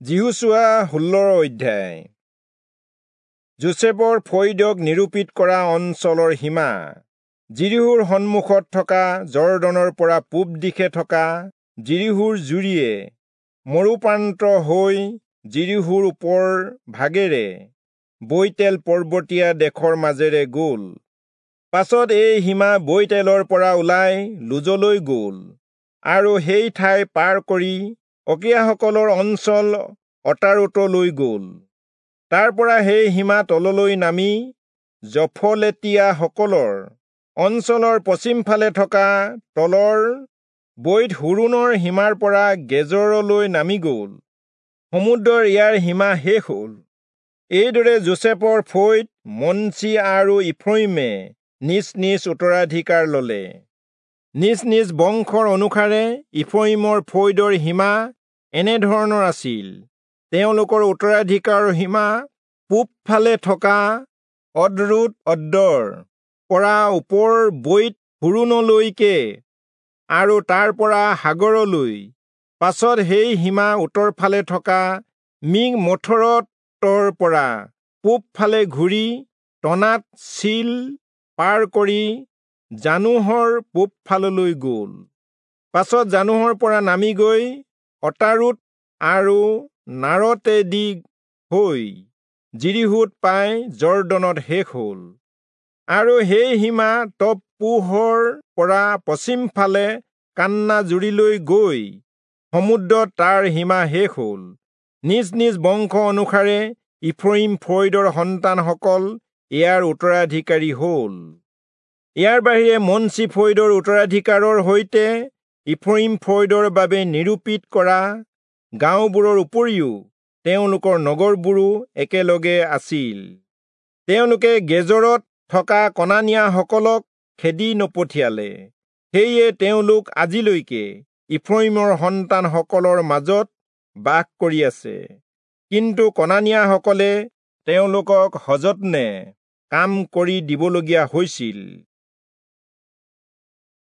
যিহোচূৱা 16 অধ্যায়। যোচেফৰ ফৈদক নিৰূপিত কৰা অঞ্চলৰ সীমা যিৰীহোৰ সন্মুখত থকা যৰ্দনৰ পৰা পূব দিশে থকা যিৰীহোৰ জুৰিয়ে মৰুপ্ৰান্ত হৈ যিৰীহোৰ ওপৰ ভাগেৰে বৈতেল পৰ্বতীয়া দেশৰ মাজেৰে গ'ল। পাছত এই সীমা বৈতেলৰ পৰা ওলাই লুজলৈ গ'ল আৰু সেই ঠাই পাৰ কৰি অকীয়াসকলৰ অঞ্চল অতাৰোতলৈ গ'ল। তাৰ পৰা সেই সীমা তললৈ নামি যফলেতীয়াসকলৰ অঞ্চলৰ পশ্চিমফালে থকা তলৰ বৈৎ-হোৰোণৰ সীমাৰ পৰা গেজৰলৈ নামি গ'ল। সমুদ্ৰৰ ইয়াৰ সীমা শেষ হ'ল। এইদৰে যোচেফৰ ফৈদ মনচি আৰু ইফ্ৰয়িমে নিজ নিজ উত্তৰাধিকাৰ ল'লে। নিজ নিজ বংশৰ অনুসাৰে ইফ্ৰয়িমৰ ফৈদৰ সীমা এনেধৰণৰ আছিল। তেওঁলোকৰ উত্তৰাধিকাৰৰ সীমা পূবফালে থকা অদৰোৎ-অদ্দৰ পৰা ওপৰ বৈৎ-হোৰোণলৈকে আৰু তাৰ পৰা সাগৰলৈ। পাছত সেই সীমা উত্তৰফালে থকা মিকমথৰতৰ পৰা পূবফালে ঘূৰি তনাৎ-চীল পাৰ কৰি জানোহৰ পূবফাললৈ গ'ল। পাছত জানোহৰ পৰা নামি গৈ অতাৰোত আৰু নাৰতেদি হৈ যিৰীহোত পাই যৰ্দনত শেষ হ'ল। আৰু সেই সীমা তপ্পূহৰ পৰা পশ্চিমফালে কান্না জুৰিলৈ গৈ সমুদ্ৰত তাৰ সীমা শেষ হ'ল। নিজ নিজ বংশ অনুসাৰে ইফ্ৰয়িম ফৈদৰ সন্তানসকল ইয়াৰ উত্তৰাধিকাৰী হ'ল। ইয়াৰ বাহিৰে মনচি ফৈদৰ উত্তৰাধিকাৰৰ সৈতে ইফ্ৰয়িম ফৈদৰ বাবে নিৰূপিত কৰা গাঁওবোৰৰ উপৰিও তেওঁলোকৰ নগৰবোৰো একেলগে আছিল। তেওঁলোকে গেজৰত থকা কনানীয়াসকলক খেদি নপঠিয়ালে, সেয়ে তেওঁলোক আজিলৈকে ইফ্ৰয়িমৰ সন্তানসকলৰ মাজত বাস কৰি আছে। কিন্তু কনানীয়াসকলে তেওঁলোকক সযত্নে কাম কৰি দিবলগীয়া হৈছিল।